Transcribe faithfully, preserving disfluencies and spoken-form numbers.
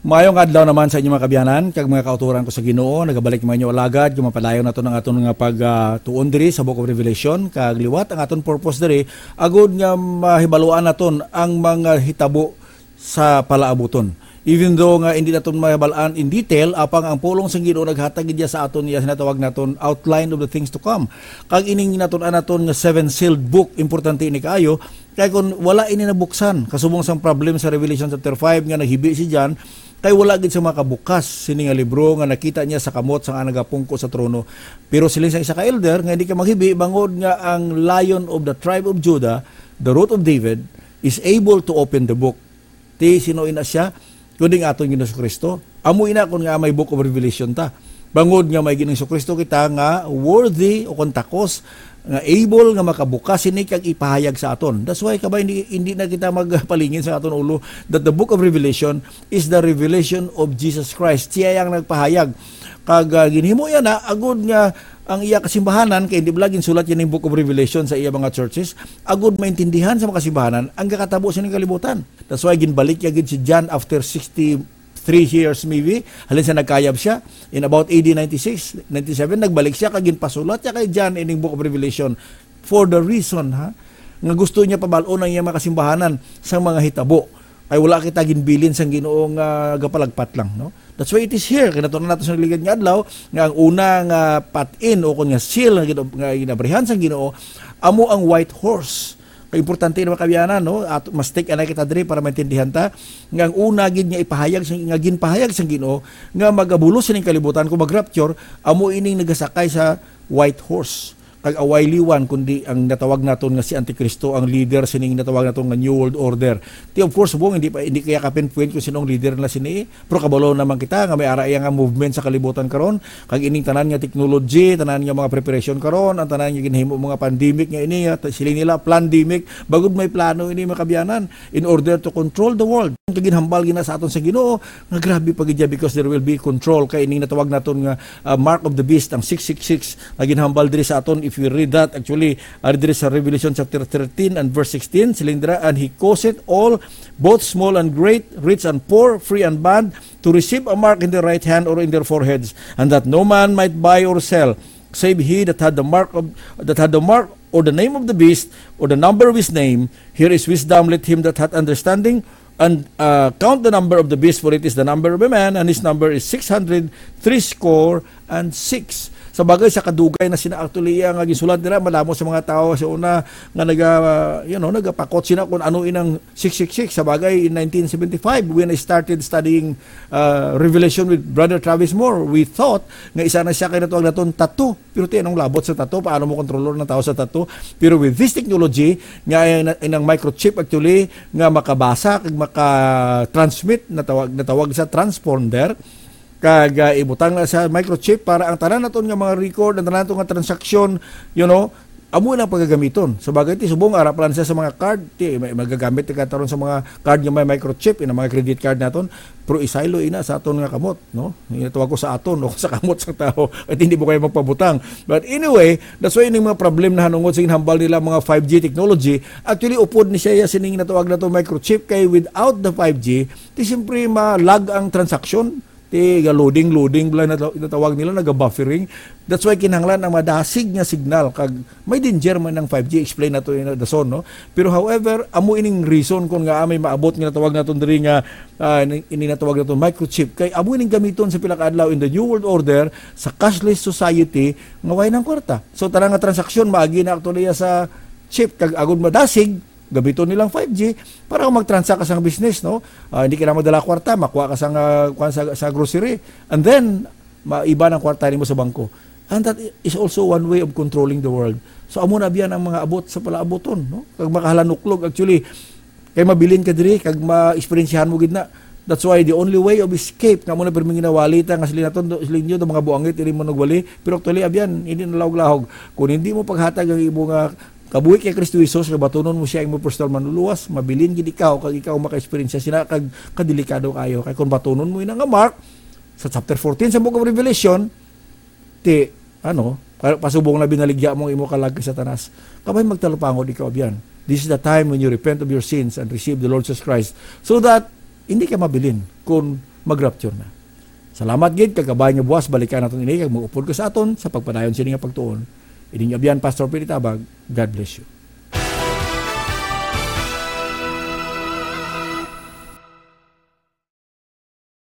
Maayong adlaw naman sa inyo, mga kabyanan, kag mga kauturan ko sa Ginoo. Nagabalik man inyo alagad, kung mapadayon nato ang aton nga pagtuon diri sa Book of Revelation, kag liwat ang aton purpose diri, agud nga mahibaluan naton ang mga hitabo sa palaabuton. Even though nga hindi naton mahibalaan in detail, apang ang pulong sang Ginoo naghatag gid sa aton, iya sinatawag naton outline of the things to come. Kag ining natun-an naton nga seven sealed book, importante ini kaayo, kay kung wala ini nabuksan, kasubong sang problem sa Revelation chapter five nga naghibi si John, kay wala gid siya makabukas sini nga libro nga nakita niya sa kamot sang nagapungko sa trono. Pero siling sa isa ka elder nga hindi ka maghibi, bangod nga ang Lion of the tribe of Judah, the Root of David, is able to open the book. Ti sino ina siya? Kundi ang aton Ginoong Kristo. Amo ina kun nga may Book of Revelation ta. Bangod nga may Ginoong Kristo kita nga worthy o kon takos, nga able nga makabukas sini kag ipahayag sa aton. That's why, kabay, hindi, hindi na kita magpalingin sa aton ulo that the Book of Revelation is the revelation of Jesus Christ. Siya ang nagpahayag. Kag, ah, ginhimo yan na agud nga ang iya kasimbahanan, kay hindi bala ginsulat yan yung Book of Revelation sa iya mga churches, agud maintindihan sa mga kasimbahanan ang gakatabo sa ning kalibutan. That's why ginbalik niya gid si John after sixty-three years, maybe, halin sa nagkayab siya. In about A D ninety-six, ninety-seven, nagbalik siya kag ginpasulat niya kay John ining Book of Revelation for the reason, ha, nga gusto niya pabal-on ang iyang mga kasimbahanan sa mga hitabo. Kay wala kita ginbilin sang Ginoo nga gapalagpat lang, no? That's why it is here. Kay nato nato sa ligad nga adlaw nga ang una nga patin o kon nga seal nga gina-, nga ginabrihan sang Ginoo amo ang white horse. Kay importante na, mga kabyanan, no? At mas take anay kita diri para maintindihan ta nga ang una gid nga ipahayag sa, nga ginpahayag sang Ginoo nga magabulos sining kalibutan kung mag-rapture, amo ining nagasakay sa white horse. Kag away liwan, kundi ang natawag naton nga si Antikristo, ang leader sining natawag naton nga New World Order. Ti, of course, subong, hindi pa, hindi kaya ka-pinpoint kung sino ang leader na sini. Pero kabalo naman kita nga may ara iya nga movement sa kalibutan karon. Kag ining tanan nga technology, tanan nga mga preparation karon, ang tanan nga ginhimo mga pandemic nga ini, nga t-, siling nila pandemic, bangod may plano ini, mga kabyanan, in order to control the world. Kag ginhambal gina sa aton sa Ginoo nga grabe pa gid siya, because there will be control. Kay ining natawag naton nga, ah, mark of the beast, ang six six six, nga ginhambal diri sa aton. If we read that, actually, ari diri sa Revelation chapter thirteen and verse sixteen, siling dira, "And he causeth all, both small and great, rich and poor, free and bond, to receive a mark in their right hand or in their foreheads, and that no man might buy or sell, save he that had the mark of, that had the mark or the name of the beast, or the number of his name. Here is wisdom, let him that hath understanding, and, uh, count the number of the beast, for it is the number of a man, and his number is six hundred threescore and six." Sa bagay, sa kadugay na sina actually iya nga gisulat dira, madamo sa mga tawo sa una nga naga, you know, nagapakot sina kung ano inang six six six. Sa bagay, in nineteen seventy-five, when I started studying, uh, Revelation with Brother Travis Moore, we thought nga isa na siya kay natawag naton tattoo. Pero ti, anong labot sa tattoo? Paano mo kontrolor ng tao sa tattoo? Pero with this technology, nga ay na, inang microchip actually, nga makabasa kag maka-transmit, natawag, natawag sa transponder, kag, ah, ibutang na sa microchip para ang tanan naton nga mga record, ang tanan naton nga transaksyon, you know, amo na pagagamiton. Sa bagay, ti, subong, ara pa lang siya sa mga card, ti, may magagamit ka taron sa mga card nga may microchip, ina mga credit card naton, pero isaylo ina sa aton nga kamot, no? Ina tawag ko sa aton, no? Sa kamot sa tao, at hindi mo kayo magpabutang. But anyway, that's why yung mga problem na hanungod sa ginhambal nila mga five G technology, actually, upod ni siya sining natawag naton microchip, kay without the five G, ti, siyempre, ma-lag ang transaksyon. Ti, ga-loading, loading, bala na, natawag nila, naga-buffering. That's why kinahanglan ang madasig nga signal, kag may danger man ang five G, explain nato in the soon, no? Pero however, amo ining reason kung nga may maabot nga natawag naton diri nga, ah, ini, ini natawag naton microchip. Kay amo ining gamiton sa pila ka adlaw in the New World Order, sa cashless society, nga way nang kwarta. So, tanan nga transaksyon, maagi na actually sa chip, kag agud madasig, gamiton nilang five G para kung mag-transact ka sa business, no? Ah, hindi ka na magdala kwarta, makuha ka sa, ah, kuwan sa, sa grocery, and then maiba ng kwarta nimo sa bangko. And that is also one way of controlling the world. So, amo na biyan ang mga abot sa palaaboton, no? Kag makahalanuklog, actually, kay mabilin ka diri, kag ma-experiensyahan mo gid na. That's why the only way of escape nga mo na pirmi ginawali ta nga sila naton, sila ninyo, mga buangit, dili mo nagwali. Pero actually, abyan, hindi na lahog-lahog. Kung hindi mo paghatag ang imo nga kabuhi kay Kristo Jesus, nga batunon mo siya imo personal manluluwas, mabilin gid ikaw, kag ikaw maka-experience sina, kag kadelikado kayo. Kay kung batunon mo ina nga mark, sa chapter fourteen sa Book of Revelation, ti, ano, pa-, pasubong na binaligya mo ang imo kalag kay Satanas. Kabay magtalupangod ikaw, abyan. This is the time when you repent of your sins and receive the Lord Jesus Christ, so that hindi ka mabilin kung mag-rapture na. Salamat gid, kag kabay nga buwas balikan naton ini kag mag-upod ka sa aton sa pagpadayon sini nga pagtuon. Ining abyan, Pastor Pete Tabag. God bless you.